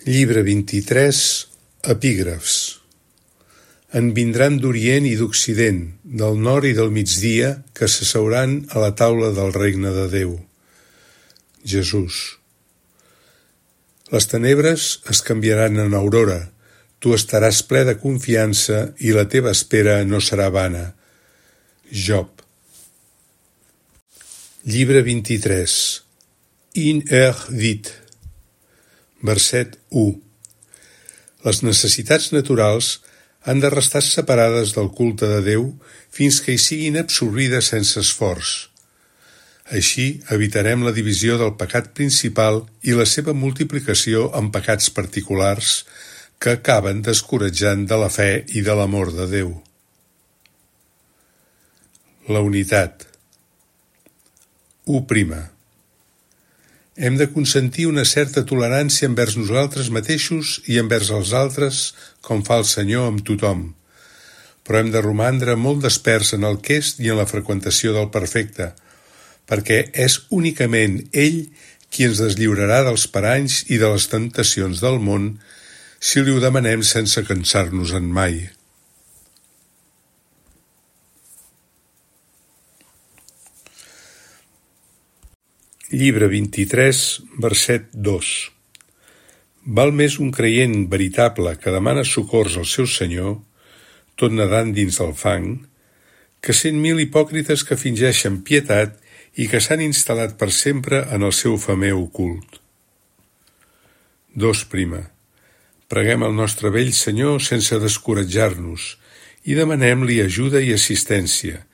Llibre 23, epígrafs. En vindran d'Orient i d'Occident, del nord i del migdia, que s'asseuran a la taula del regne de Déu. Jesús. Les tenebres es canviaran en aurora, tu estaràs ple de confiança i la teva espera no serà vana. Job. Llibre 23. In dit. Verset 1. Les necessitats naturals han de restar separades del culte de Déu fins que hi siguin absorbides sense esforç. Així evitarem la divisió del pecat principal i la seva multiplicació en pecats particulars que acaben descoratjant de la fe i de l'amor de Déu. La unitat. 1. Hem de consentir una certa tolerància envers nosaltres mateixos i envers els altres, com fa el Senyor amb tothom. Però hem de romandre molt desperts en el quest i en la freqüentació del perfecte, perquè és únicament ell qui ens deslliurarà dels paranys i de les temptacions del món si li ho demanem sense cansar-nos-en mai. Llibre 23, verset 2. Val més un creient veritable que demana socors al seu Senyor, tot nedant dins del fang, que 100.000 hipòcrites que fingeixen pietat i que s'han instal·lat per sempre en el seu femer ocult. 2. Preguem al nostre vell Senyor sense descoratjar-nos i demanem-li ajuda i assistència,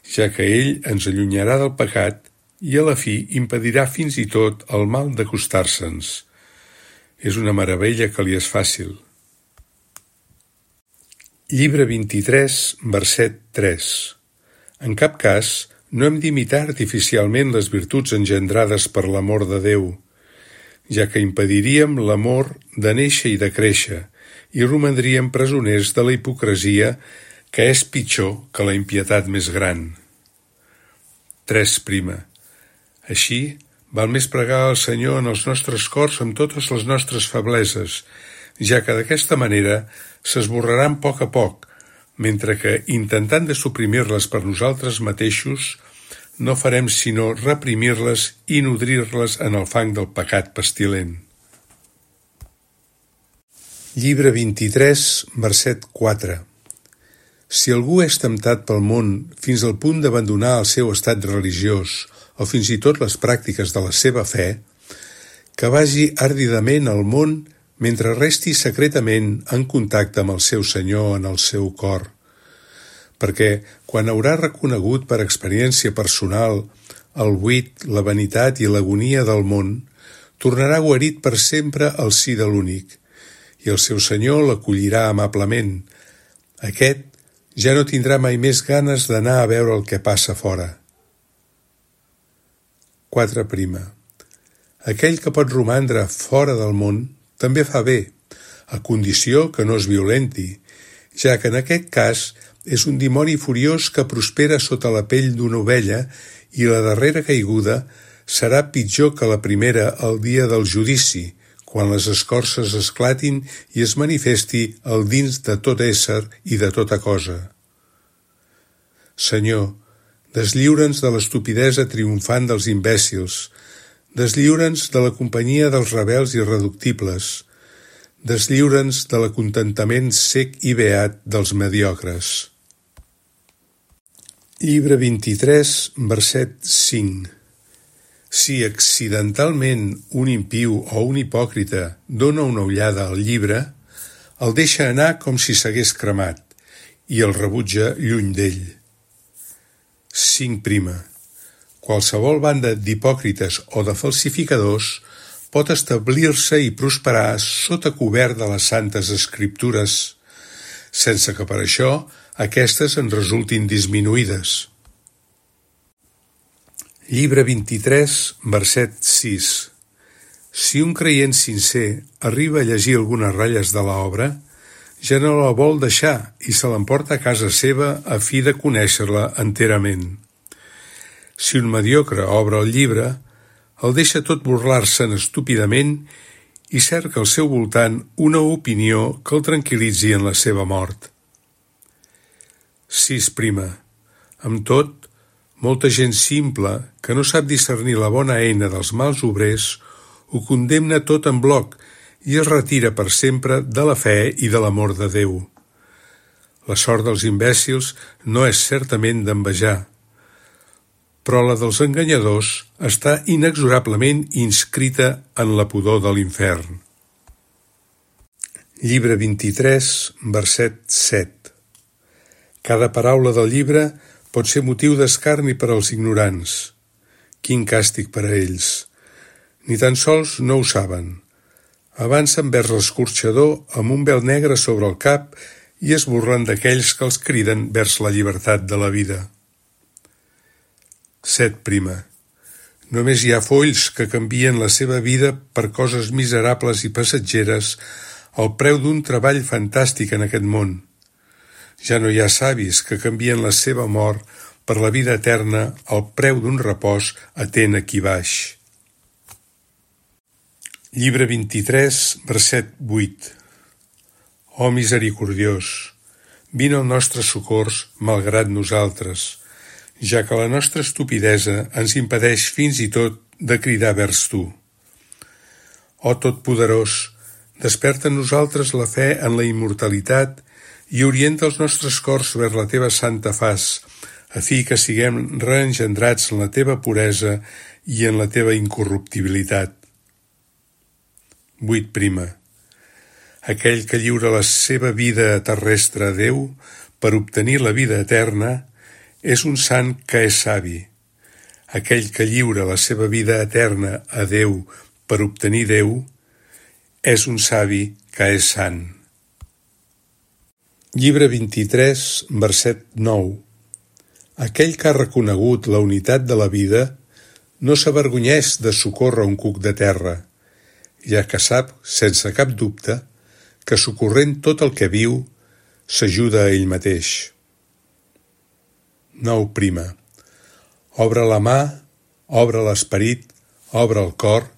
ja que ell ens allunyarà del pecat i a la fi impedirà fins i tot el mal d'acostar-se'ns. És una meravella que li és fàcil. Llibre 23, verset 3. En cap cas no hem d'imitar artificialment les virtuts engendrades per l'amor de Déu, ja que impediríem l'amor de néixer i de créixer i romandríem presoners de la hipocresia, que és pitjor que la impietat més gran. 3. Així, val més pregar al Senyor en els nostres cors amb totes les nostres febleses, ja que d'aquesta manera s'esborraran a poc, mentre que, intentant de suprimir-les per nosaltres mateixos, no farem sinó reprimir-les i nodrir-les en el fang del pecat pestilent. Llibre 23, verset 4. Si algú és temptat pel món fins al punt d'abandonar el seu estat religiós o fins i tot les pràctiques de la seva fe, que vagi àrdidament al món mentre resti secretament en contacte amb el seu Senyor en el seu cor, perquè quan haurà reconegut per experiència personal el buit, la vanitat i l'agonia del món, tornarà guarit per sempre al si de l'únic, i el seu Senyor l'acollirà amablement. Aquest ja no tindrà mai més ganes d'anar a veure el que passa fora. 4. Aquell que pot romandre fora del món també fa bé, a condició que no es violenti, ja que en aquest cas és un dimoni furiós que prospera sota la pell d'una ovella i la darrera caiguda serà pitjor que la primera el dia del judici, quan les escorces esclatin i es manifesti el dins de tot ésser i de tota cosa. Senyor, deslliura'ns de l'estupidesa triomfant dels imbècils, deslliura'ns de la companyia dels rebels irreductibles, deslliura'ns de l'acontentament sec i beat dels mediocres. Llibre 23, verset 5. Si accidentalment un impiu o un hipòcrita dona una ullada al llibre, el deixa anar com si s'hagués cremat i el rebutja lluny d'ell. 5. Qualsevol banda d'hipòcrites o de falsificadors pot establir-se i prosperar sota cobert de les santes escriptures, sense que per això aquestes en resultin disminuïdes. Llibre 23, verset 6. Si un creient sincer arriba a llegir algunes ratlles de l'obra, ja no la vol deixar i se l'emporta a casa seva a fi de conèixer-la enterament. Si un mediocre obre el llibre, el deixa tot burlar-se'n estúpidament i cerca al seu voltant una opinió que el tranquil·litzi en la seva mort. 6. Amb tot, molta gent simple, que no sap discernir la bona eina dels mals obrers, ho condemna tot en bloc i es retira per sempre de la fe i de l'amor de Déu. La sort dels imbècils no és certament d'envejar, però la dels enganyadors està inexorablement inscrita en la pudor de l'infern. Llibre 23, verset 7. Cada paraula del llibre pot ser motiu d'escarni per als ignorants. Quin càstig per a ells! Ni tan sols no ho saben. Avancen vers l'escorxador amb un vel negre sobre el cap i es burlen d'aquells que els criden vers la llibertat de la vida. 7. Només hi ha folls que canvien la seva vida per coses miserables i passatgeres al preu d'un treball fantàstic en aquest món. Ja no hi ha savis que canvien la seva mort per la vida eterna al preu d'un repòs atent aquí baix. Llibre 23, verset 8. Oh misericordiós, vine al nostre socors malgrat nosaltres, ja que la nostra estupidesa ens impedeix fins i tot de cridar vers tu. Oh Totpoderós, desperta en nosaltres la fe en la immortalitat i orienta els nostres cors vers la teva santa faç, a fi que siguem reengendrats en la teva puresa i en la teva incorruptibilitat. 8. Aquell que lliura la seva vida terrestre a Déu per obtenir la vida eterna és un sant que és savi. Aquell que lliura la seva vida eterna a Déu per obtenir Déu és un savi que és sant. Llibre 23, verset 9. Aquell que ha reconegut la unitat de la vida no s'avergonyeix de socórrer un cuc de terra, ja que sap, sense cap dubte, que socorrent tot el que viu, s'ajuda a ell mateix. 9. Obre la mà, obre l'esperit, obre el cor,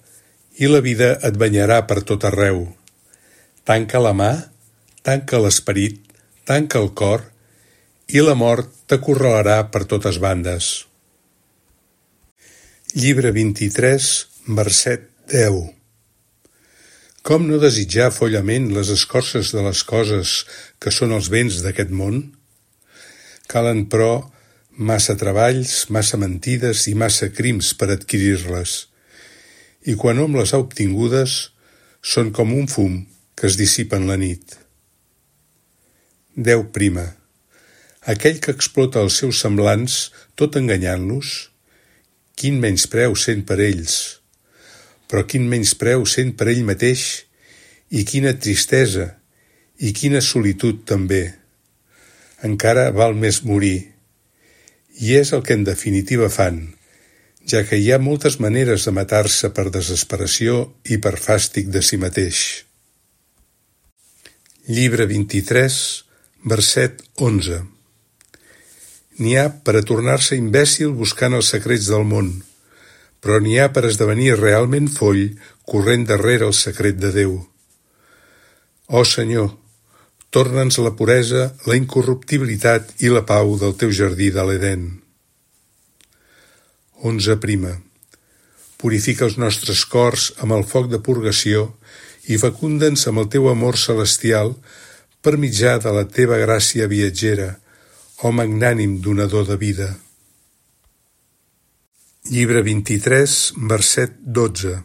i la vida et banyarà per tot arreu. Tanca la mà, tanca l'esperit, tanca el cor, i la mort t'acorralarà per totes bandes. Llibre 23, verset 10. Com no desitjar follament les escorces de les coses que són els béns d'aquest món? Calen, però, massa treballs, massa mentides i massa crims per adquirir-les, i quan hom les ha obtingudes, són com un fum que es dissipa en la nit. 10. Aquell que explota els seus semblants, tot enganyant-los, quin menyspreu sent per ells, però quin menyspreu sent per ell mateix, i quina tristesa, i quina solitud també. Encara val més morir, i és el que en definitiva fan, ja que hi ha moltes maneres de matar-se per desesperació i per fàstic de si mateix. Llibre 23, verset 11. N'hi ha per a tornar-se imbècil buscant els secrets del món, però n'hi ha per esdevenir realment foll corrent darrere el secret de Déu. Ó Senyor, torna'ns la puresa, la incorruptibilitat i la pau del teu jardí de l'Edèn. 11. Purifica els nostres cors amb el foc de purgació i fecunda'ns amb el teu amor celestial per mitjà de la teva gràcia viatgera, ó magnànim donador de vida. Llibre 23, verset 12.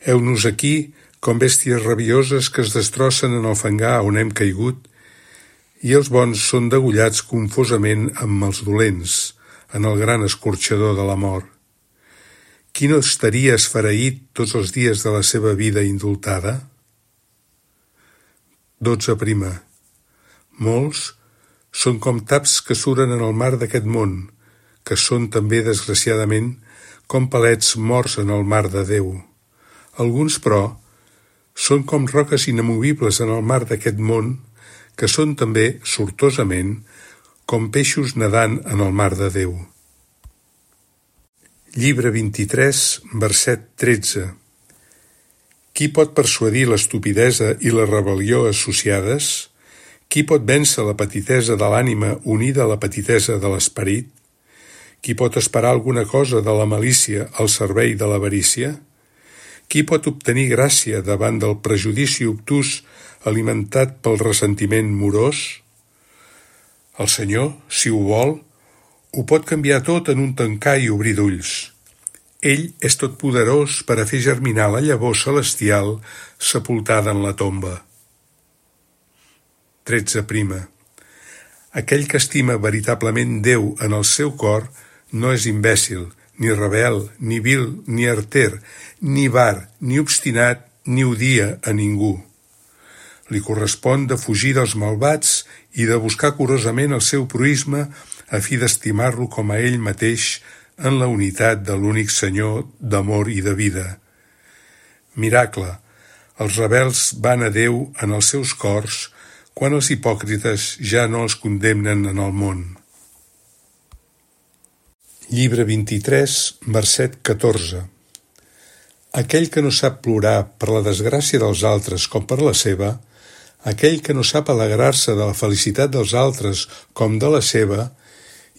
Heu-nos aquí com bèsties rabioses que es destrossen en el fangar on hem caigut, i els bons són degollats confosament amb els dolents, en el gran escorxador de la mort. Qui no estaria esfereït tots els dies de la seva vida indultada? 12. Molts són com taps que suren en el mar d'aquest món, que són també, desgraciadament, com palets morts en el mar de Déu. Alguns, però, són com roques inamovibles en el mar d'aquest món, que són també, sortosament, com peixos nedant en el mar de Déu. « Llibre 23, verset 13. Qui pot persuadir l'estupidesa i la rebel·lió associades? Qui pot vèncer la petitesa de l'ànima unida a la petitesa de l'esperit? Qui pot esperar alguna cosa de la malícia al servei de l'avarícia? Qui pot obtenir gràcia davant del prejudici obtús alimentat pel ressentiment morós? El Senyor, si ho vol, ho pot canviar tot en un tancar i obrir d'ulls. Ell és totpoderós per a fer germinar la llavor celestial sepultada en la tomba. 13. Aquell que estima veritablement Déu en el seu cor no és imbècil, ni rebel, ni vil, ni arter, ni var, ni obstinat, ni odia a ningú. Li correspon de fugir dels malvats i de buscar curosament el seu proïsme a fi d'estimar-lo com a ell mateix en la unitat de l'únic Senyor d'amor i de vida. Miracle, els rebels van a Déu en els seus cors quan els hipòcrites ja no els condemnen en el món. Llibre 23, verset 14. Aquell que no sap plorar per la desgràcia dels altres com per la seva, aquell que no sap alegrar-se de la felicitat dels altres com de la seva,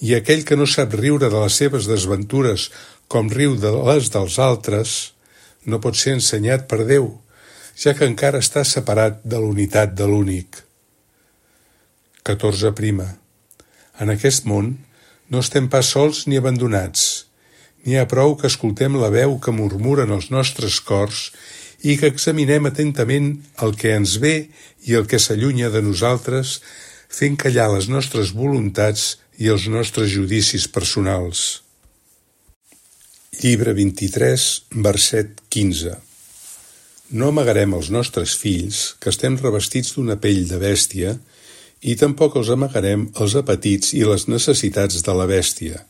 i aquell que no sap riure de les seves desventures com riu de les dels altres, no pot ser ensenyat per Déu, ja que encara està separat de l'unitat de l'únic. 14. En aquest món no estem pas sols ni abandonats. N'hi ha prou que escoltem la veu que murmuren els nostres cors i que examinem atentament el que ens ve i el que s'allunya de nosaltres, fent callar les nostres voluntats i els nostres judicis personals. Llibre 23, verset 15. No amagarem als nostres fills que estem revestits d'una pell de bèstia i tampoc els amagarem els apetits i les necessitats de la bèstia,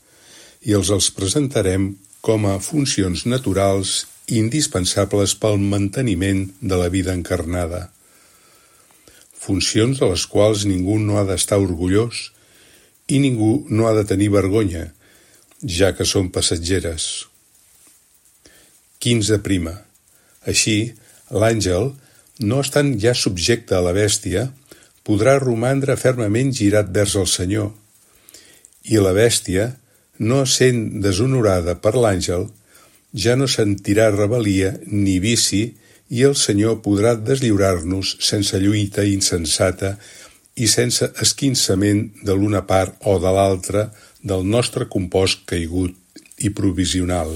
i els presentarem com a funcions naturals indispensables pel manteniment de la vida encarnada. Funcions de les quals ningú no ha d'estar orgullós i ningú no ha de tenir vergonya, ja que són passatgeres. 15. Així, l'àngel, no estant ja subjecte a la bèstia, podrà romandre fermament girat vers el Senyor, i la bèstia, no sent deshonorada per l'àngel, ja no sentirà rebel·lia ni vici i el Senyor podrà deslliurar-nos sense lluita insensata i sense esquinçament de l'una part o de l'altra del nostre compost caigut i provisional.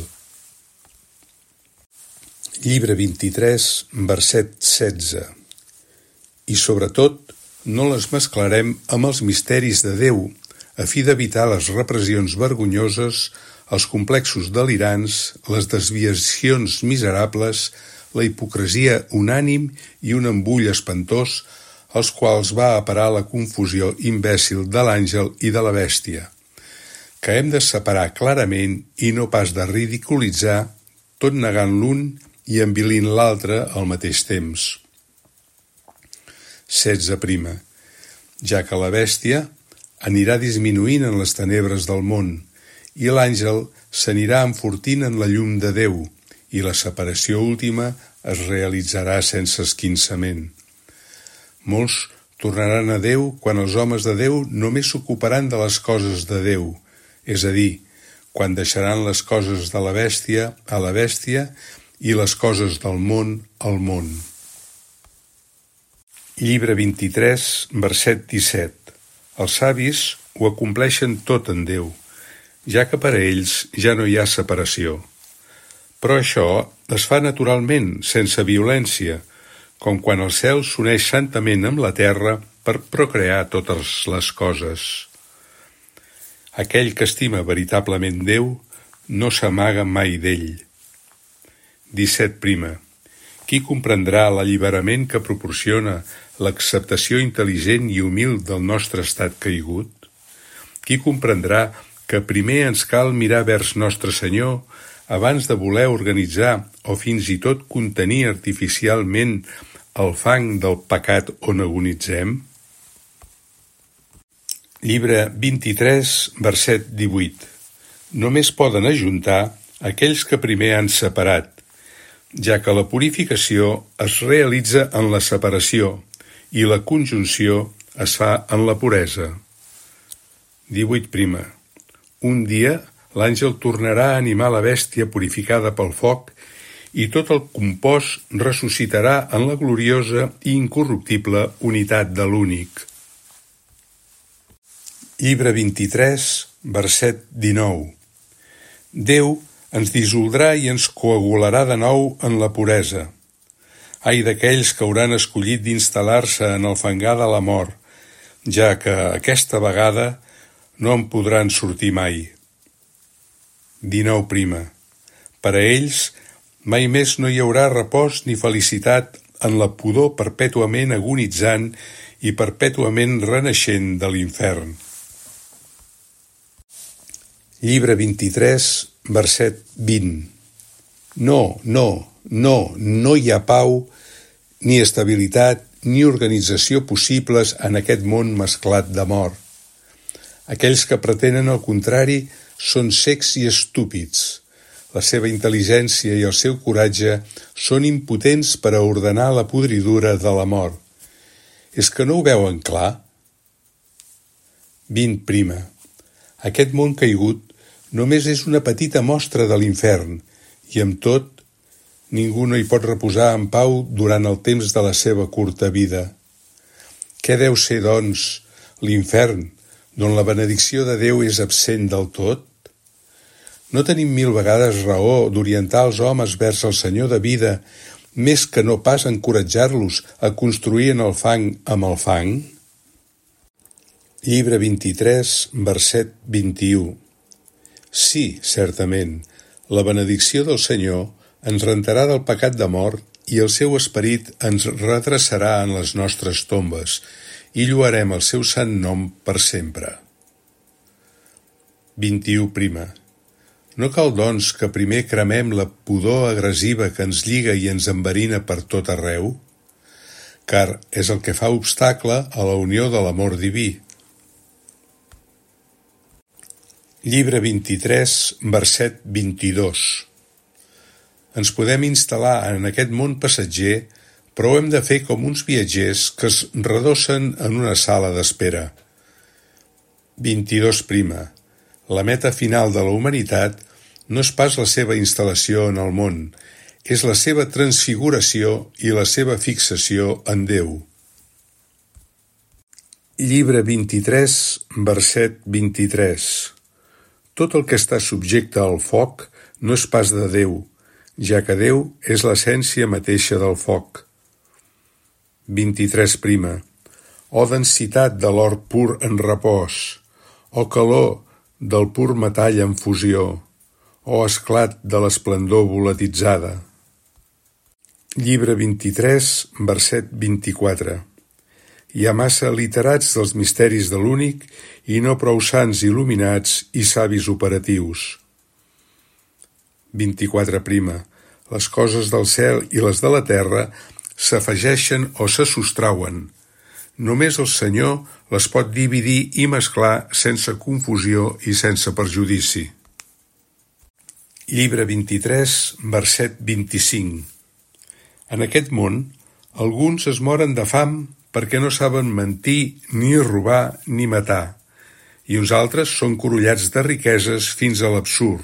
Llibre 23, verset 16. I sobretot, no les mesclarem amb els misteris de Déu, a fi d'evitar les repressions vergonyoses, els complexos delirants, les desviacions miserables, la hipocresia unànim i un embull espantós, als quals va a parar la confusió imbècil de l'àngel i de la bèstia, que hem de separar clarament i no pas de ridiculitzar, tot negant l'un i envilint l'altre al mateix temps. 16. Ja que la bèstia anirà disminuint en les tenebres del món i l'àngel s'anirà enfortint en la llum de Déu i la separació última es realitzarà sense esquinçament. Molts tornaran a Déu quan els homes de Déu només s'ocuparan de les coses de Déu, és a dir, quan deixaran les coses de la bèstia a la bèstia i les coses del món al món. Llibre 23, verset 17. Els savis ho acompleixen tot en Déu, ja que per a ells ja no hi ha separació. Però això es fa naturalment, sense violència, com quan el cel s'uneix santament amb la terra per procrear totes les coses. Aquell que estima veritablement Déu no s'amaga mai d'ell. 17. Qui comprendrà l'alliberament que proporciona l'acceptació intel·ligent i humil del nostre estat caigut? Qui comprendrà que primer ens cal mirar vers Nostre Senyor abans de voler organitzar o fins i tot contenir artificialment el fang del pecat on agonitzem? Llibre 23, verset 18. Només poden ajuntar aquells que primer han separat, ja que la purificació es realitza en la separació i la conjunció es fa en la puresa. 18. Un dia l'àngel tornarà a animar la bèstia purificada pel foc i tot el compost ressuscitarà en la gloriosa i incorruptible unitat de l'únic. Llibre 23, verset 19. Déu ens dissoldrà i ens coagularà de nou en la puresa. Ai d'aquells que hauran escollit d'instal·lar-se en el fangar de la mort, ja que aquesta vegada no en podran sortir mai. 19. Per a ells mai més no hi haurà repòs ni felicitat en la pudor perpètuament agonitzant i perpètuament renaixent de l'infern. Llibre 23, verset 20. No hi ha pau, ni estabilitat, ni organització possibles en aquest món mesclat d'amor. Aquells que pretenen el contrari són cecs i estúpids. La seva intel·ligència i el seu coratge són impotents per a ordenar la podridura de la mort. És que no ho veuen clar? 20. Aquest món caigut només és una petita mostra de l'infern i, amb tot, ningú no hi pot reposar en pau durant el temps de la seva curta vida. Què deu ser, doncs, l'infern, d'on la benedicció de Déu és absent del tot? No tenim 1000 vegades raó d'orientar els homes vers el Senyor de vida, més que no pas encoratjar-los a construir en el fang amb el fang? Llibre 23, verset 21. Sí, certament, la benedicció del Senyor ens rentarà del pecat de mort i el seu esperit ens redreçarà en les nostres tombes i lloarem el seu sant nom per sempre. 21. No cal, doncs, que primer cremem la pudor agressiva que ens lliga i ens enverina per tot arreu? Car és el que fa obstacle a la unió de l'amor diví. Llibre 23, verset 22. Ens podem instal·lar en aquest món passatger, però ho hem de fer com uns viatgers que es redossen en una sala d'espera. 22. La meta final de la humanitat no és pas la seva instal·lació en el món, és la seva transfiguració i la seva fixació en Déu. Llibre 23, verset 23. Tot el que està subjecte al foc no és pas de Déu, ja que Déu és l'essència mateixa del foc. 23. O densitat de l'or pur en repòs, o calor del pur metall en fusió, o esclat de l'esplendor volatitzada. Llibre 23, verset 24. Hi ha massa literats dels misteris de l'únic i no prou sants il·luminats i savis operatius. 24. Les coses del cel i les de la terra s'afegeixen o se sostrauen. Només el Senyor les pot dividir i mesclar sense confusió i sense perjudici. Llibre 23, verset 25. En aquest món, alguns es moren de fam perquè no saben mentir, ni robar, ni matar, i uns altres són corollats de riqueses fins a l'absurd,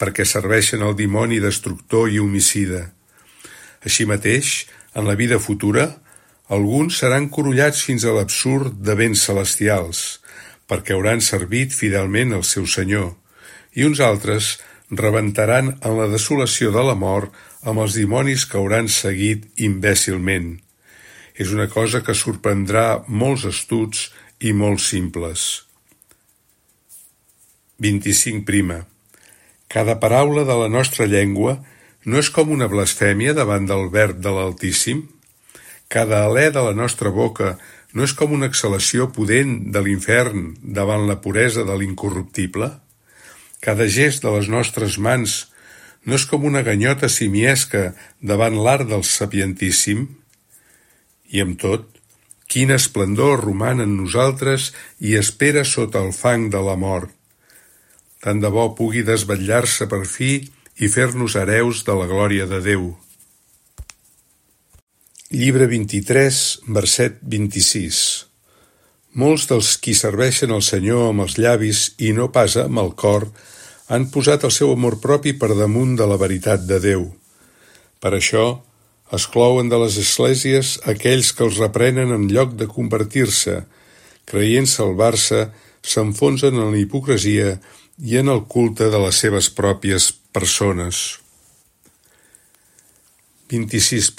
perquè serveixen al dimoni destructor i homicida. Així mateix, en la vida futura, alguns seran corollats fins a l'absurd de béns celestials, perquè hauran servit fidelment al seu Senyor, i uns altres rebentaran en la desolació de la mort amb els dimonis que hauran seguit imbècilment. És una cosa que sorprendrà molts astuts i molt simples. 25. Cada paraula de la nostra llengua no és com una blasfèmia davant del verb de l'Altíssim? Cada alè de la nostra boca no és com una exhalació pudent de l'infern davant la puresa de l'incorruptible? Cada gest de les nostres mans no és com una ganyota simiesca davant l'art del sapientíssim? I amb tot, quin esplendor roman en nosaltres i espera sota el fang de la mort. Tant de bo pugui desvetllar-se per fi i fer-nos hereus de la glòria de Déu. Llibre 23, verset 26. Molts dels qui serveixen el Senyor amb els llavis i no pas amb el cor han posat el seu amor propi per damunt de la veritat de Déu. Per això, exclouen de les esglésies aquells que els reprenen en lloc de convertir-se, creient salvar-se, s'enfonsen en la hipocresia i en el culte de les seves pròpies persones. 26.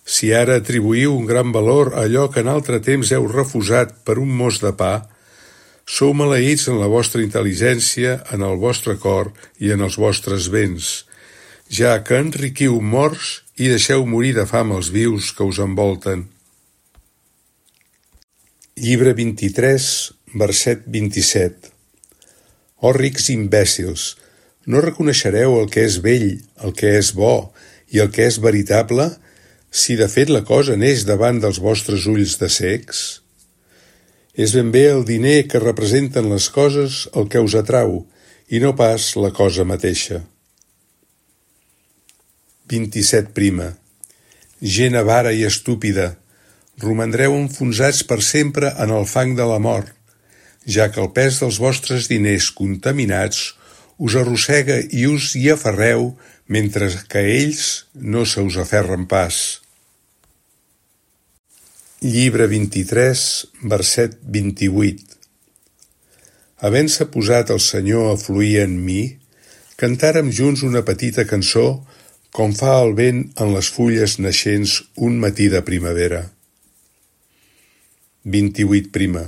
Si ara atribuïu un gran valor a allò que en altre temps heu refusat per un mos de pa, sou maleïts en la vostra intel·ligència, en el vostre cor i en els vostres béns, ja que enriquiu morts i deixeu morir de fam els vius que us envolten. Llibre 23, verset 27. Oh rics imbècils, no reconeixereu el que és bell, el que és bo i el que és veritable, si de fet la cosa neix davant dels vostres ulls de cecs? És ben bé el diner que representen les coses el que us atrau, i no pas la cosa mateixa. 27. Gent avara i estúpida, romandreu enfonsats per sempre en el fang de la mort, ja que el pes dels vostres diners contaminats us arrossega i us hi aferreu mentre que ells no se us aferren pas. Llibre 23, verset 28. Havent-se posat el Senyor a fluir en mi, cantàrem junts una petita cançó com fa el vent en les fulles naixents un matí de primavera. 28.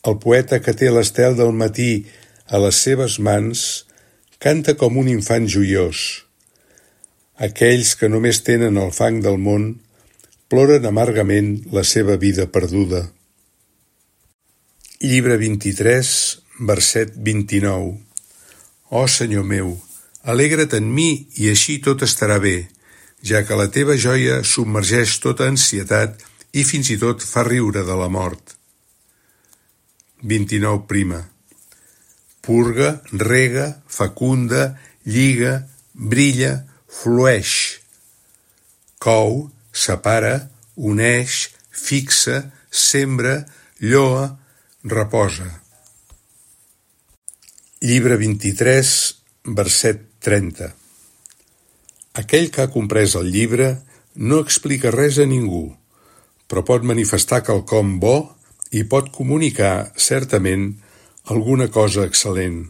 El poeta que té l'estel del matí a les seves mans canta com un infant joiós. Aquells que només tenen el fang del món ploren amargament la seva vida perduda. Llibre 23, verset 29. Oh Senyor meu, alegra't en mi i així tot estarà bé, ja que la teva joia submergeix tota ansietat i fins i tot fa riure de la mort. 29. Purga, rega, fecunda, lliga, brilla, flueix. Cou, separa, uneix, fixa, sembra, lloa, reposa. Llibre 23, verset 30. Aquell que ha comprès el llibre no explica res a ningú, però pot manifestar quelcom bo i pot comunicar, certament, alguna cosa excel·lent.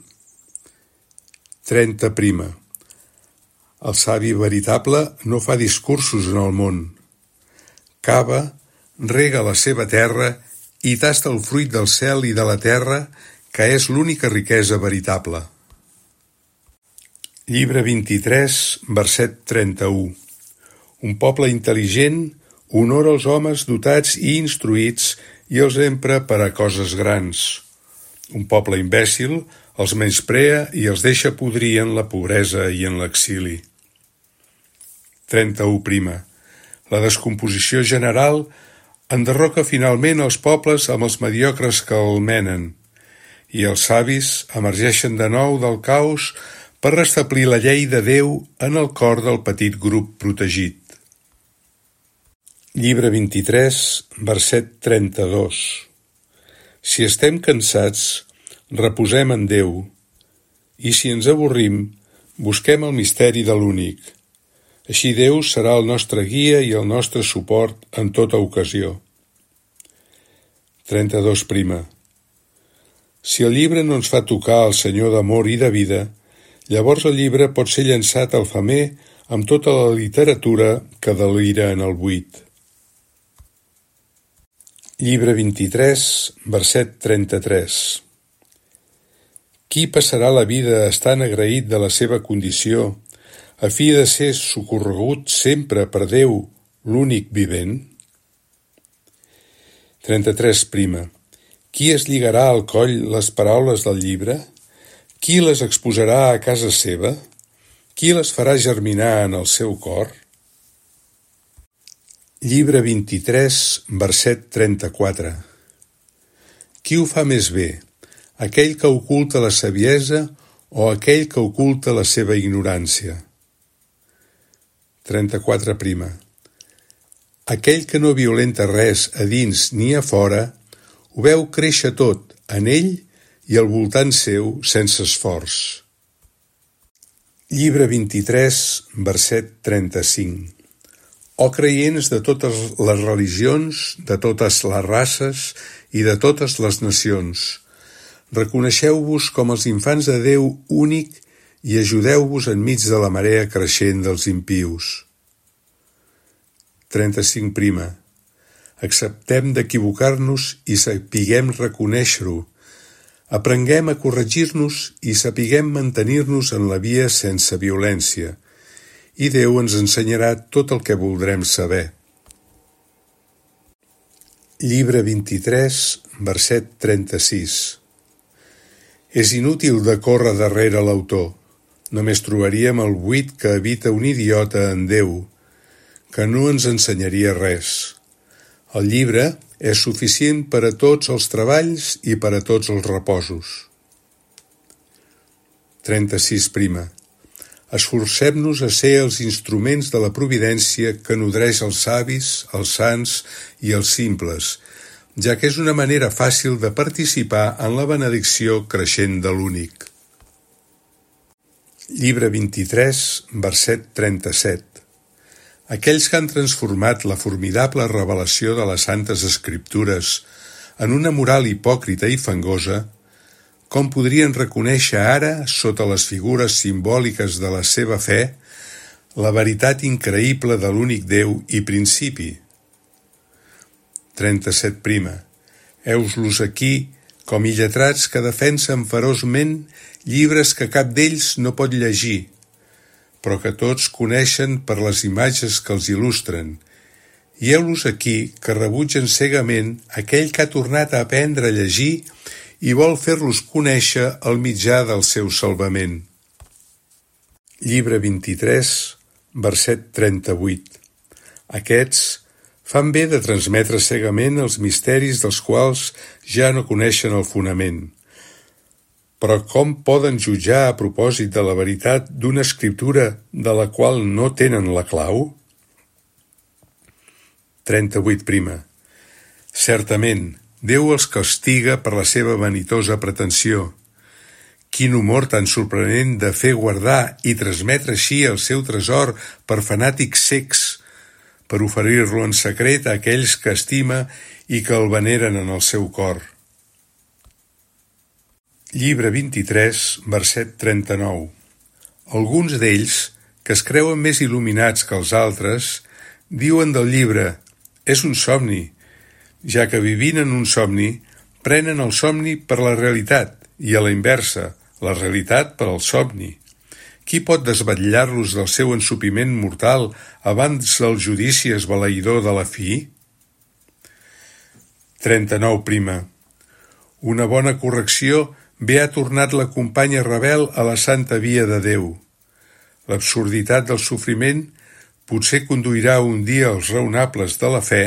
30. El savi veritable no fa discursos en el món. Cava, rega la seva terra i tasta el fruit del cel i de la terra, que és l'única riquesa veritable. Llibre 23, verset 31. Un poble intel·ligent honora els homes dotats i instruïts i els empra per a coses grans. Un poble imbècil els menysprea i els deixa podrir en la pobresa i en l'exili. 31. La descomposició general enderroca finalment els pobles amb els mediocres que el menen, i els savis emergeixen de nou del caos per restablir la llei de Déu en el cor del petit grup protegit. Llibre 23, verset 32. Si estem cansats, reposem en Déu, i si ens avorrim, busquem el misteri de l'únic. Així Déu serà el nostre guia i el nostre suport en tota ocasió. 32. Si el llibre no ens fa tocar el Senyor d'amor i de vida, llavors el llibre pot ser llançat al femer amb tota la literatura que delira en el buit. Llibre 23, verset 33. Qui passarà la vida estant agraït de la seva condició, a fi de ser socorregut sempre per Déu, l'únic vivent? 33. Qui es lligarà al coll les paraules del llibre? Qui les exposarà a casa seva? Qui les farà germinar en el seu cor? Llibre 23, verset 34. Qui ho fa més bé, aquell que oculta la saviesa o aquell que oculta la seva ignorància? 34. Aquell que no violenta res a dins ni a fora, ho veu créixer tot en ell i al voltant seu sense esforç. Llibre 23, verset 35. Ó creients de totes les religions, de totes les races i de totes les nacions, reconeixeu-vos com els infants de Déu únic i ajudeu-vos enmig de la marea creixent dels impius. 35. Acceptem d'equivocar-nos i sapiguem reconèixer-ho. Aprenguem a corregir-nos i sapiguem mantenir-nos en la via sense violència. I Déu ens ensenyarà tot el que voldrem saber. Llibre 23, verset 36. És inútil de córrer darrere l'autor. Només trobaríem el buit que habita un idiota en Déu, que no ens ensenyaria res. El llibre és suficient per a tots els treballs i per a tots els reposos. 36. Esforcem-nos a ser els instruments de la providència que nodreix els savis, els sants i els simples, ja que és una manera fàcil de participar en la benedicció creixent de l'únic. Llibre 23, verset 37. Aquells que han transformat la formidable revelació de les Santes Escriptures en una moral hipòcrita i fangosa, com podrien reconèixer ara, sota les figures simbòliques de la seva fe, la veritat increïble de l'únic Déu i principi? 37. Heus-los aquí, com illetrats que defensen feroçment llibres que cap d'ells no pot llegir, però que tots coneixen per les imatges que els il·lustren, i heu-los aquí que rebutgen cegament aquell que ha tornat a aprendre a llegir i vol fer-los conèixer el mitjà del seu salvament. Llibre 23, verset 38. Aquests fan bé de transmetre cegament els misteris dels quals ja no coneixen el fonament. Però com poden jutjar a propòsit de la veritat d'una escriptura de la qual no tenen la clau? 38. Certament, Déu els castiga per la seva vanitosa pretensió. Quin humor tan sorprenent de fer guardar i transmetre així el seu tresor per fanàtics cecs, per oferir-lo en secret a aquells que estima i que el veneren en el seu cor. Llibre 23, verset 39. Alguns d'ells, que es creuen més il·luminats que els altres, diuen del llibre: és un somni, ja que vivint en un somni, prenen el somni per la realitat i a la inversa, la realitat per al somni. Qui pot desvetllar-los del seu ensopiment mortal abans del judici esbalaïdor de la fi? 39. Una bona correcció bé ha tornat la companya rebel a la santa via de Déu. L'absurditat del sofriment potser conduirà un dia els raonables de la fe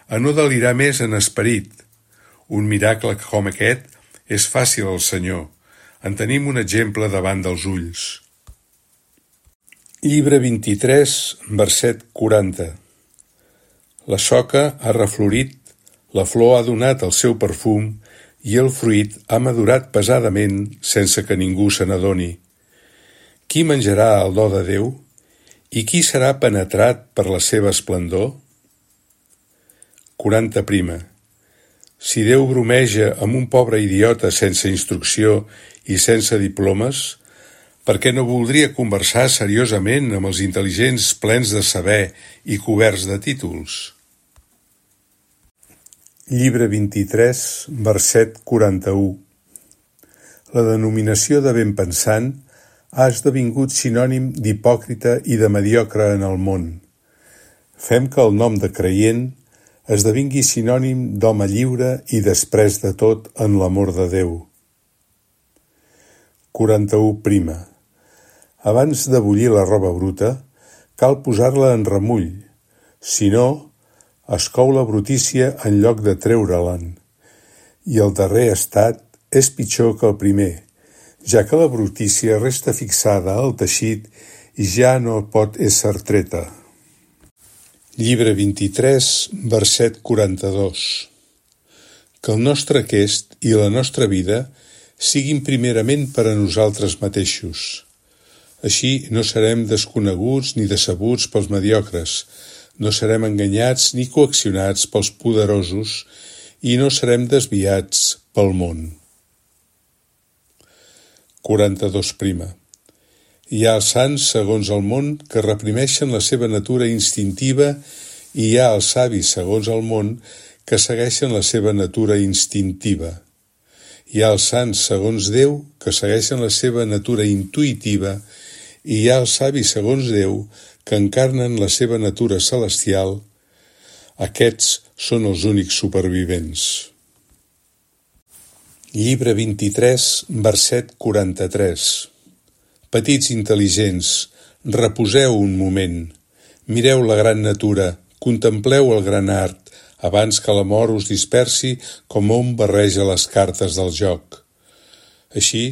a no delirar més en esperit. Un miracle com aquest és fàcil al Senyor. En tenim un exemple davant dels ulls. Llibre 23, verset 40. La soca ha reflorit, la flor ha donat el seu perfum i el fruit ha madurat pesadament sense que ningú se n'adoni. Qui menjarà el do de Déu? I qui serà penetrat per la seva esplendor? 40. Si Déu bromeja amb un pobre idiota sense instrucció i sense diplomes, per què no voldria conversar seriosament amb els intel·ligents plens de saber i coberts de títols? Llibre 23, verset 41. La denominació de benpensant ha esdevingut sinònim d'hipòcrita i de mediocre en el món. Fem que el nom de creient esdevingui sinònim d'home lliure i després de tot en l'amor de Déu. 41. Abans de bullir la roba bruta, cal posar-la en remull, si no, es cou la brutícia en lloc de treure-le'n, i el darrer estat és pitjor que el primer, ja que la brutícia resta fixada al teixit i ja no pot ésser treta. Llibre 23, verset 42. Que el nostre aquest i la nostra vida siguin primerament per a nosaltres mateixos. Així no serem desconeguts ni decebuts pels mediocres, no serem enganyats ni coaccionats pels poderosos i no serem desviats pel món. 42. Hi ha els sants segons el món que reprimeixen la seva natura instintiva i hi ha els savis segons el món que segueixen la seva natura instintiva. Hi ha els sants segons Déu que segueixen la seva natura intuïtiva i hi ha els savis segons Déu que encarnen la seva natura celestial. Aquests són els únics supervivents. Llibre 23, verset 43. Petits intel·ligents, reposeu un moment, mireu la gran natura, contempleu el gran art, abans que la mort us dispersi com un barreja les cartes del joc. Així,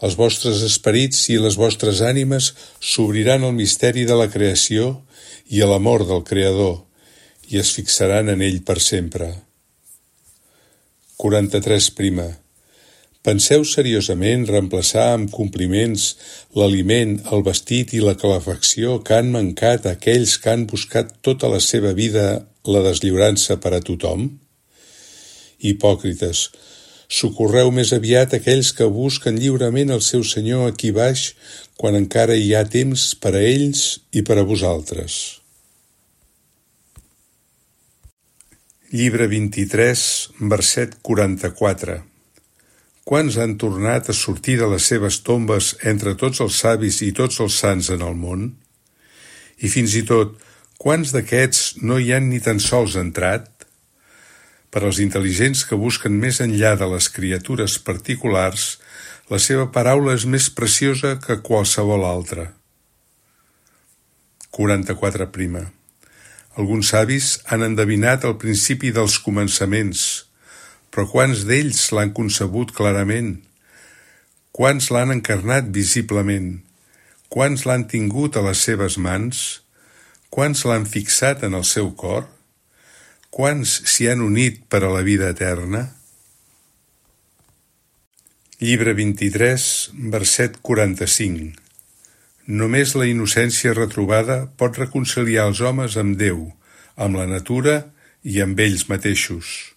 els vostres esperits i les vostres ànimes s'obriran al misteri de la creació i a l'amor del Creador, i es fixaran en ell per sempre. 43. Penseu seriosament reemplaçar amb compliments l'aliment, el vestit i la calefacció que han mancat a aquells que han buscat tota la seva vida la deslliurança per a tothom? Hipòcrites, socorreu més aviat aquells que busquen lliurement el seu Senyor aquí baix quan encara hi ha temps per a ells i per a vosaltres. Llibre 23, verset 44. Quants han tornat a sortir de les seves tombes entre tots els savis i tots els sants en el món? I fins i tot, quants d'aquests no hi han ni tan sols entrat? Per als intel·ligents que busquen més enllà de les criatures particulars, la seva paraula és més preciosa que qualsevol altra. 44. Alguns savis han endevinat el principi dels començaments, però quants d'ells l'han concebut clarament? Quants l'han encarnat visiblement? Quants l'han tingut a les seves mans? Quants l'han fixat en el seu cor? Quants s'hi han unit per a la vida eterna? Llibre 23, verset 45. Només la innocència retrobada pot reconciliar els homes amb Déu, amb la natura i amb ells mateixos.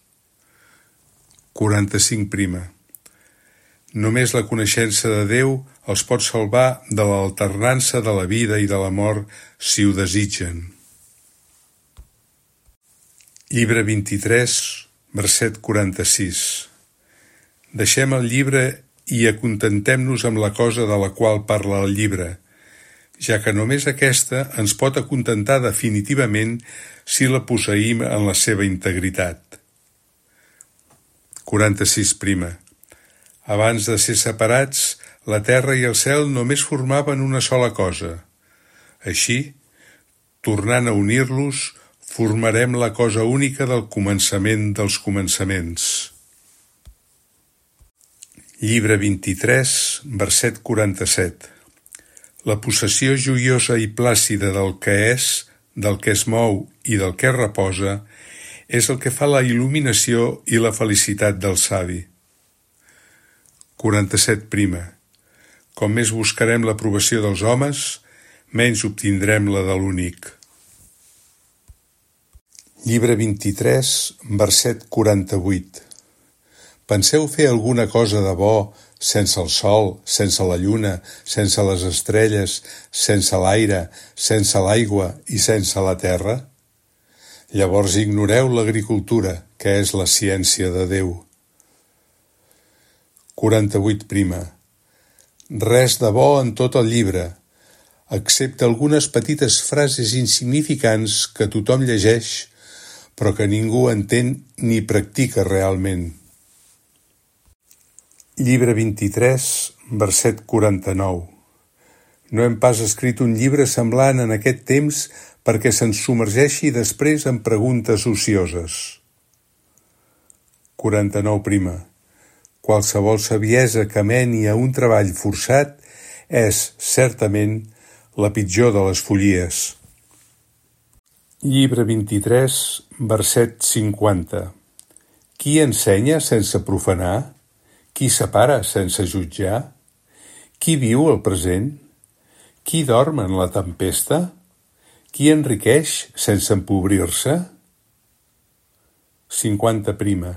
45. Només la coneixença de Déu els pot salvar de l'alternança de la vida i de la mort si ho desitgen. Llibre 23, verset 46. Deixem el llibre i acontentem-nos amb la cosa de la qual parla el llibre, ja que només aquesta ens pot acontentar definitivament si la posseïm en la seva integritat. 46. Abans de ser separats, la terra i el cel només formaven una sola cosa. Així, tornant a unir-los, formarem la cosa única del començament dels començaments. Llibre 23, verset 47. La possessió joiosa i plàcida del que és, del que es mou i del que reposa, és el que fa la il·luminació i la felicitat del savi. 47. Com més buscarem l'aprovació dels homes, menys obtindrem la de l'únic. Llibre 23, verset 48. Penseu fer alguna cosa de bo sense el sol, sense la lluna, sense les estrelles, sense l'aire, sense l'aigua i sense la terra? Llavors ignoreu l'agricultura, que és la ciència de Déu. 48. Res de bo en tot el llibre, excepte algunes petites frases insignificants que tothom llegeix, però que ningú entén ni practica realment. Llibre 23, verset 49. No hem pas escrit un llibre semblant en aquest temps perquè se'ns submergeixi després en preguntes ocioses. 49. Qualsevol saviesa que meni a un treball forçat és, certament, la pitjor de les follies. Llibre 23, verset 50. Qui ensenya sense profanar? Qui separa sense jutjar? Qui viu el present? Qui dorm en la tempesta? Qui enriqueix sense empobrir-se? 50.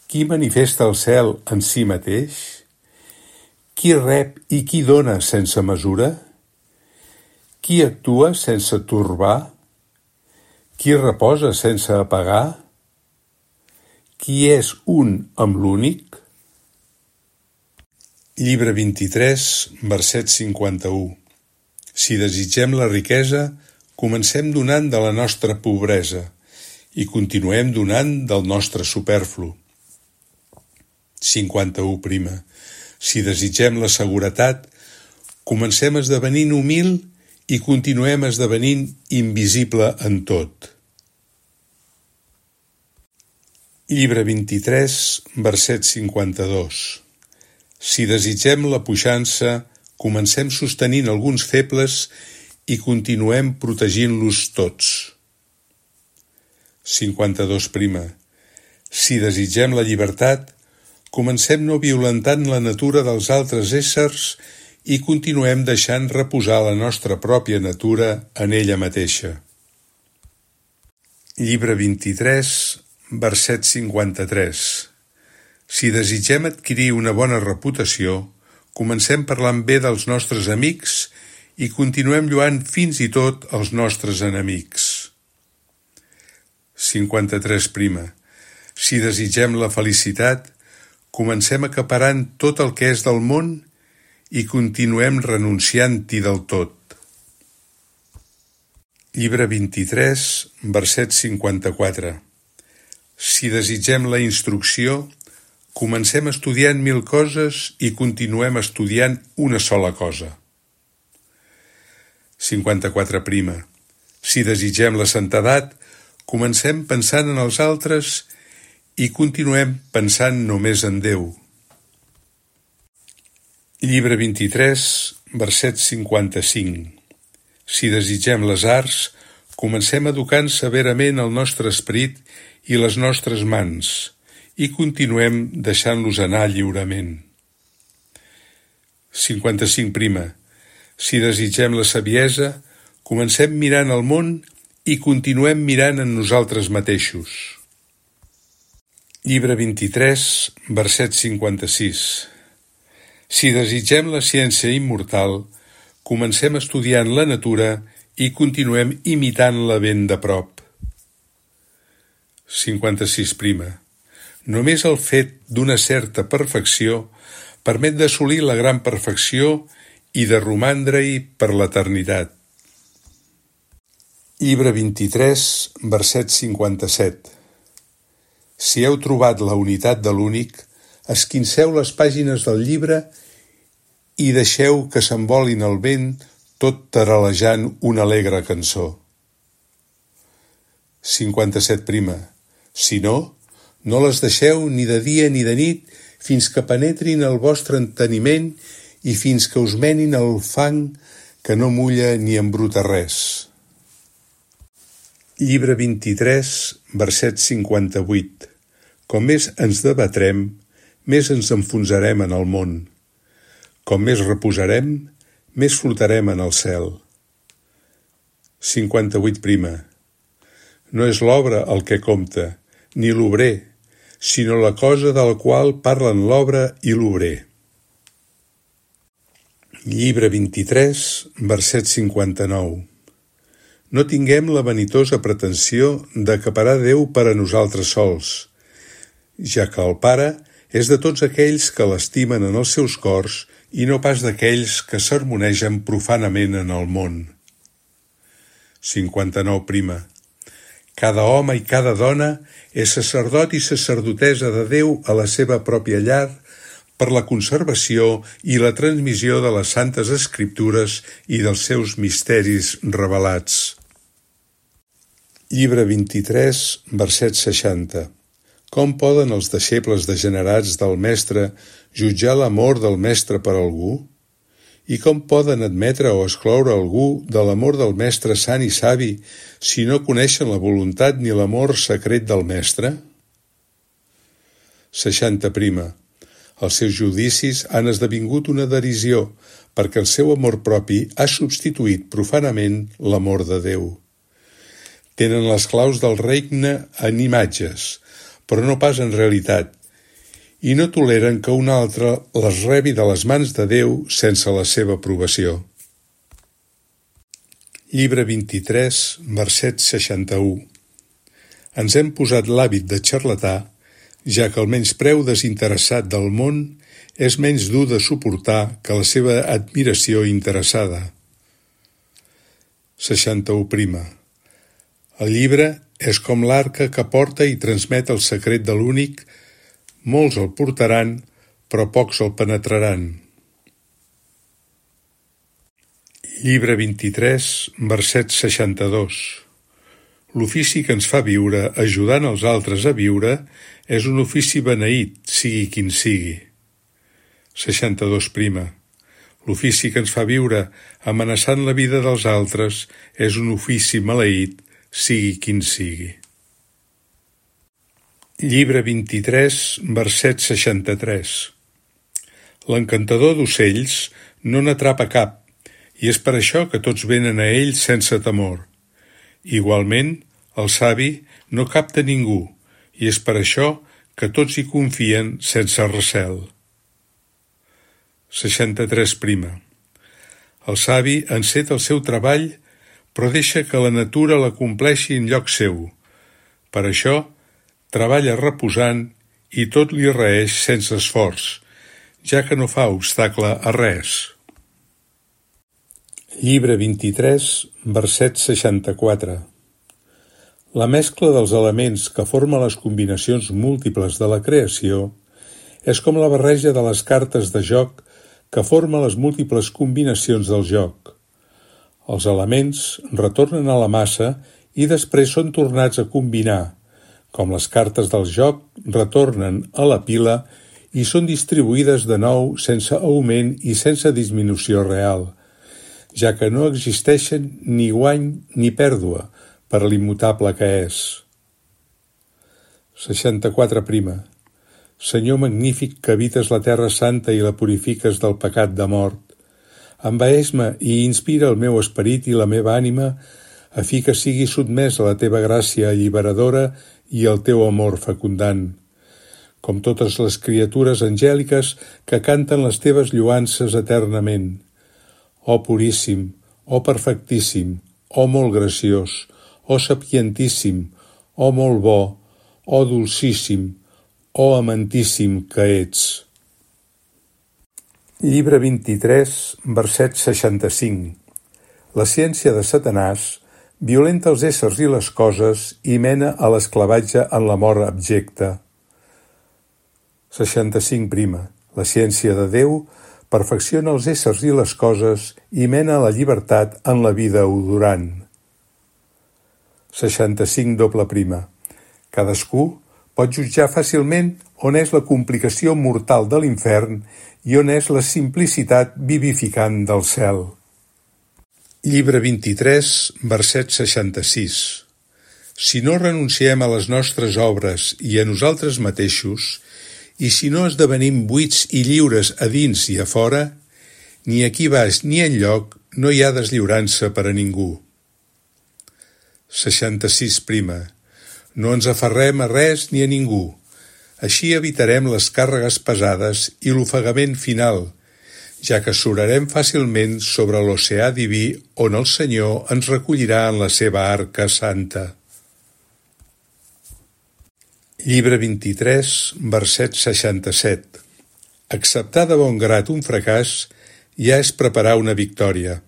Qui manifesta el cel en si mateix? Qui rep i qui dona sense mesura? Qui actua sense torbar? Qui reposa sense apagar? Qui és un amb l'únic? Llibre 23, verset 51. Si desitgem la riquesa, comencem donant de la nostra pobresa i continuem donant del nostre superflu. 51. Si desitgem la seguretat, comencem esdevenint humil i continuem esdevenint invisible en tot. Llibre 23, verset 52. Si desitgem la puixança, comencem sostenint alguns febles i continuem protegint-los tots. 52. Si desitgem la llibertat, comencem no violentant la natura dels altres éssers i continuem deixant reposar la nostra pròpia natura en ella mateixa. Llibre 23, verset 53. Si desitgem adquirir una bona reputació, comencem parlant bé dels nostres amics i continuem lloant fins i tot els nostres enemics. 53. Si desitgem la felicitat, comencem acaparant tot el que és del món i continuem renunciant-hi del tot. Llibre 23, verset 54. Si desitgem la instrucció, comencem estudiant 1000 coses i continuem estudiant una sola cosa. 54. Si desitgem la santedat, comencem pensant en els altres i continuem pensant només en Déu. Llibre 23, verset 55. Si desitgem les arts, comencem educant severament el nostre esperit i les nostres mans i continuem deixant-los anar lliurement. 55. Si desitgem la saviesa, comencem mirant el món i continuem mirant en nosaltres mateixos. Llibre 23, verset 56. Si desitgem la ciència immortal, comencem estudiant la natura i continuem imitant-la ben de prop. 56. Només el fet d'una certa perfecció permet d'assolir la gran perfecció i de romandre-hi per l'eternitat. Llibre 23, verset 57. Si heu trobat la unitat de l'únic, esquinceu les pàgines del llibre i deixeu que s'envolin al vent tot taralejant una alegre cançó. 57. Si no, no les deixeu ni de dia ni de nit fins que penetrin el vostre enteniment i fins que us menin el fang que no mulla ni embruta res. Llibre 23, verset 58. Com més ens debatrem, més ens enfonsarem en el món. Com més reposarem, més flotarem en el cel. 58. No és l'obra el que compta, ni l'obrer, sinó la cosa de la qual parlen l'obra i l'obrer. Llibre 23, verset 59. No tinguem la vanitosa pretensió d'acaparar Déu per a nosaltres sols, ja que el Pare és de tots aquells que l'estimen en els seus cors i no pas d'aquells que sermonegen profanament en el món. 59. Cada home i cada dona és sacerdot i sacerdotessa de Déu a la seva pròpia llar per la conservació i la transmissió de les Santes Escriptures i dels seus misteris revelats. Llibre 23, verset 60. Com poden els deixebles degenerats del Mestre jutjar l'amor del Mestre per algú? I com poden admetre o excloure algú de l'amor del mestre sant i savi si no coneixen la voluntat ni l'amor secret del mestre? 60. Els seus judicis han esdevingut una derisió perquè el seu amor propi ha substituït profanament l'amor de Déu. Tenen les claus del regne en imatges, però no pas en realitat, i no toleren que un altre les rebi de les mans de Déu sense la seva aprovació. Llibre 23, verset 61. Ens hem posat l'hàbit de xarlatà, ja que el menyspreu desinteressat del món és menys dur de suportar que la seva admiració interessada. 61. El llibre és com l'arca que porta i transmet el secret de l'únic. Molts el portaran, però pocs el penetraran. Llibre 23, verset 62. L'ofici que ens fa viure, ajudant els altres a viure, és un ofici beneït, sigui quin sigui. 62. L'ofici que ens fa viure, amenaçant la vida dels altres, és un ofici maleït, sigui quin sigui. Llibre 23, verset 63. L'encantador d'ocells no n'atrapa cap, i és per això que tots venen a ell sense temor. Igualment, el savi no capta ningú, i és per això que tots hi confien sense recel. 63. El savi enceta el seu treball, però deixa que la natura l'acompleixi en lloc seu. Per això, treballa reposant i tot li reeix sense esforç, ja que no fa obstacle a res. Llibre 23, verset 64. La mescla dels elements que formen les combinacions múltiples de la creació és com la barreja de les cartes de joc que forma les múltiples combinacions del joc. Els elements retornen a la massa i després són tornats a combinar, com les cartes del joc retornen a la pila i són distribuïdes de nou sense augment i sense disminució real, ja que no existeixen ni guany ni pèrdua per l'immutable que és. 64. Senyor magnífic que habites la terra santa i la purifiques del pecat de mort, envaeix-me i inspira el meu esperit i la meva ànima a fi que sigui sotmès a la teva gràcia alliberadora i el teu amor fecundant, com totes les criatures angèliques que canten les teves lloances eternament. Oh puríssim, oh perfectíssim, oh molt graciós, oh sapientíssim, oh molt bo, oh dolcíssim, oh amantíssim que ets. Llibre 23, verset 65. La ciència de Satanàs violenta els éssers i les coses i mena a l'esclavatge en la mort abjecta. 65. La ciència de Déu perfecciona els éssers i les coses i mena a la llibertat en la vida odorant. 65. Cadascú pot jutjar fàcilment on és la complicació mortal de l'infern i on és la simplicitat vivificant del cel. Llibre 23, verset 66. Si no renunciem a les nostres obres i a nosaltres mateixos, i si no esdevenim buits i lliures a dins i a fora, ni aquí baix ni enlloc no hi ha deslliurança per a ningú. 66. No ens aferrem a res ni a ningú. Així evitarem les càrregues pesades i l'ofegament final, ja que surarem fàcilment sobre l'oceà diví on el Senyor ens recollirà en la seva arca santa. Llibre 23, verset 67. Acceptar de bon grat un fracàs ja és preparar una victòria.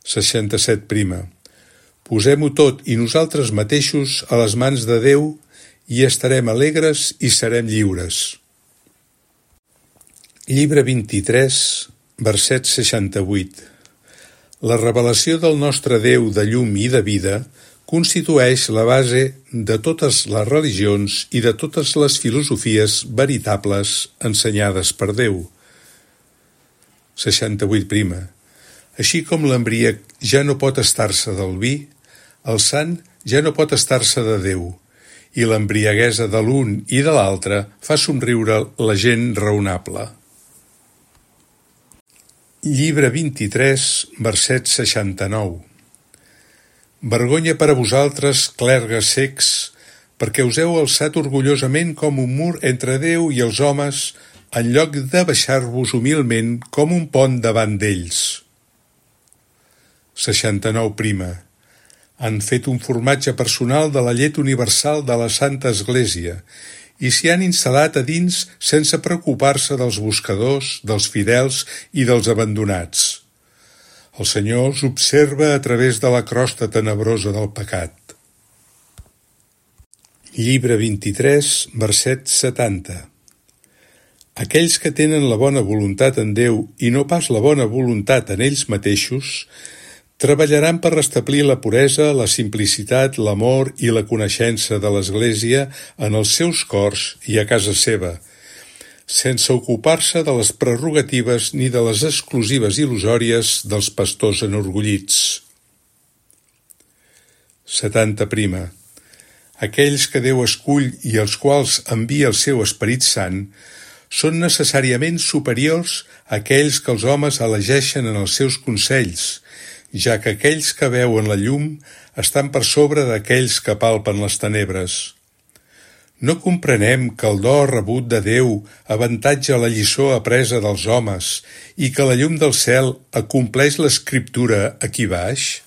67. Posem-ho tot i nosaltres mateixos a les mans de Déu i estarem alegres i serem lliures. Llibre 23, verset 68. La revelació del nostre Déu de llum i de vida constitueix la base de totes les religions i de totes les filosofies veritables ensenyades per Déu. 68. Així com l'embriac ja no pot estar-se del vi, el sant ja no pot estar-se de Déu, i l'embriaguesa de l'un i de l'altre fa somriure la gent raonable. Llibre 23, verset 69. Vergonya per a vosaltres, clergues cecs, perquè us heu alçat orgullosament com un mur entre Déu i els homes, en lloc de baixar-vos humilment com un pont davant d'ells. 69. Han fet un formatge personal de la llet universal de la Santa Església i s'hi han instal·lat a dins sense preocupar-se dels buscadors, dels fidels i dels abandonats. El Senyor us observa a través de la crosta tenebrosa del pecat. Llibre 23, verset 70. Aquells que tenen la bona voluntat en Déu i no pas la bona voluntat en ells mateixos, treballaran per restablir la puresa, la simplicitat, l'amor i la coneixença de l'Església en els seus cors i a casa seva, sense ocupar-se de les prerrogatives ni de les exclusives il·lusòries dels pastors enorgullits. 70. Aquells que Déu escull i als quals envia el seu Esperit Sant són necessàriament superiors a aquells que els homes elegeixen en els seus consells, ja que aquells que veuen la llum estan per sobre d'aquells que palpen les tenebres. No comprenem que el do rebut de Déu avantatja la lliçó apresa dels homes i que la llum del cel acompleix l'Escriptura aquí baix?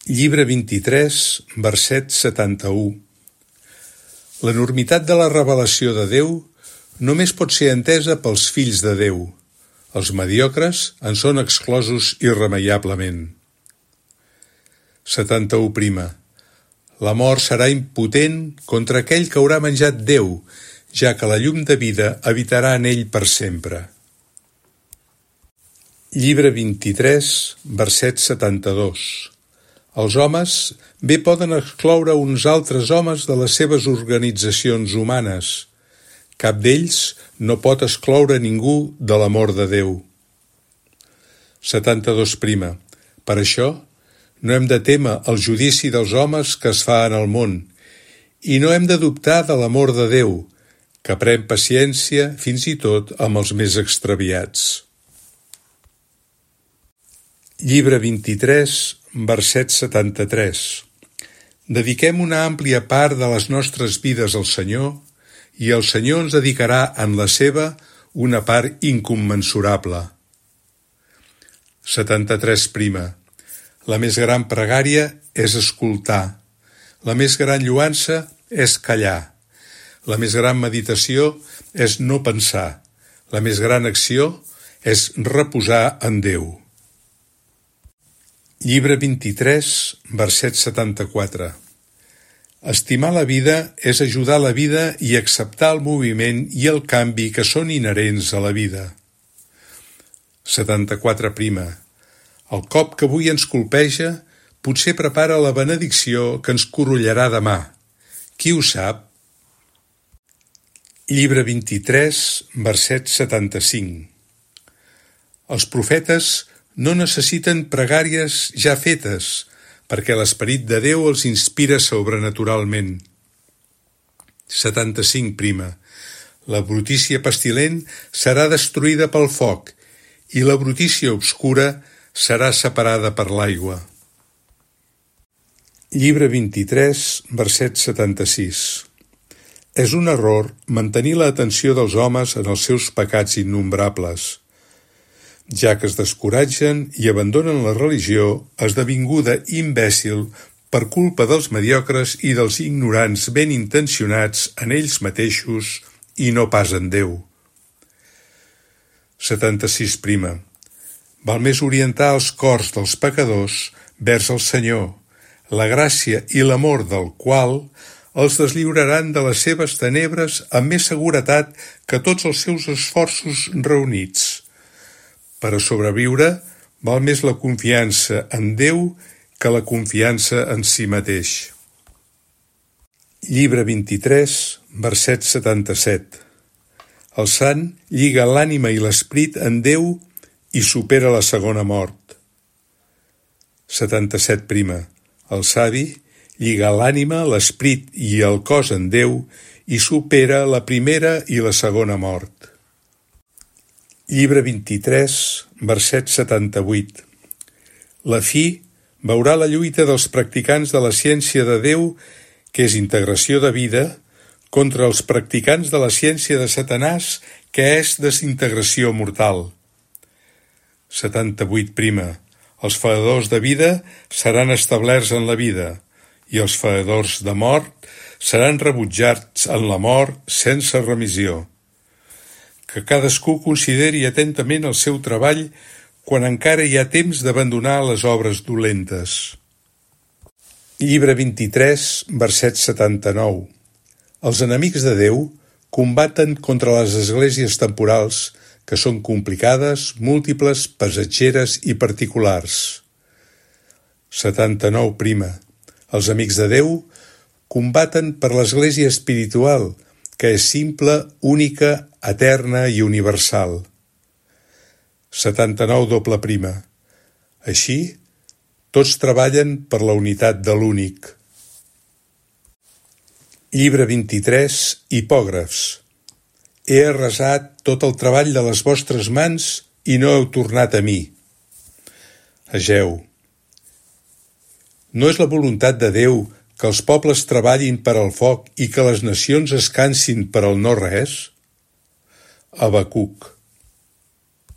Llibre 23, verset 71. L'enormitat de la revelació de Déu només pot ser entesa pels fills de Déu. Els mediocres en són exclosos irremeiablement. 71. La mort serà impotent contra aquell que haurà menjat Déu, ja que la llum de vida habitarà en ell per sempre. Llibre 23, verset 72. Els homes bé poden excloure uns altres homes de les seves organitzacions humanes. Cap d'ells no pot excloure ningú de l'amor de Déu. 72. Per això, no hem de témer el judici dels homes que es fa en el món, i no hem de dubtar de l'amor de Déu, que pren paciència fins i tot amb els més extraviats. Llibre 23, verset 73. Dediquem una àmplia part de les nostres vides al Senyor, i el Senyor ens dedicarà en la seva una part incommensurable. 73. La més gran pregària és escoltar. La més gran lloança és callar. La més gran meditació és no pensar. La més gran acció és reposar en Déu. Llibre 23, verset 74. Estimar la vida és ajudar la vida i acceptar el moviment i el canvi que són inherents a la vida. 74. El cop que avui ens colpeja potser prepara la benedicció que ens corollarà demà. Qui ho sap? Llibre 23, verset 75. Els profetes no necessiten pregàries ja fetes, perquè l'Esperit de Déu els inspira sobrenaturalment. 75. La brutícia pestilent serà destruïda pel foc, i la brutícia obscura serà separada per l'aigua. Llibre 23, verset 76. És un error mantenir l'atenció dels homes en els seus pecats innombrables, ja que es descoratgen i abandonen la religió esdevinguda imbècil per culpa dels mediocres i dels ignorants ben intencionats en ells mateixos i no pas en Déu. 76. Val més orientar els cors dels pecadors vers el Senyor, la gràcia i l'amor del qual els deslliuraran de les seves tenebres amb més seguretat que tots els seus esforços reunits. Per a sobreviure, val més la confiança en Déu que la confiança en si mateix. Llibre 23, verset 77. El sant lliga l'ànima i l'esperit en Déu i supera la segona mort. 77. El savi lliga l'ànima, l'esperit i el cos en Déu i supera la primera i la segona mort. Llibre 23, verset 78. La fi veurà la lluita dels practicants de la ciència de Déu, que és integració de vida, contra els practicants de la ciència de Satanàs, que és desintegració mortal. 78. Els feedors de vida seran establerts en la vida, i els feedors de mort seran rebutjats en la mort sense remissió. Que cadascú consideri atentament el seu treball quan encara hi ha temps d'abandonar les obres dolentes. Llibre 23, verset 79. Els enemics de Déu combaten contra les esglésies temporals, que són complicades, múltiples, passatgeres i particulars. 79. Els amics de Déu combaten per l'església espiritual, que és simple, única, eterna i universal. 79. Així, tots treballen per la unitat de l'únic. Llibre 23, Hipògrafs. He arrasat tot el treball de les vostres mans i no heu tornat a mi. Ageu. No és la voluntat de Déu que els pobles treballin per al foc i que les nacions es cansin per al no res? Habacuc.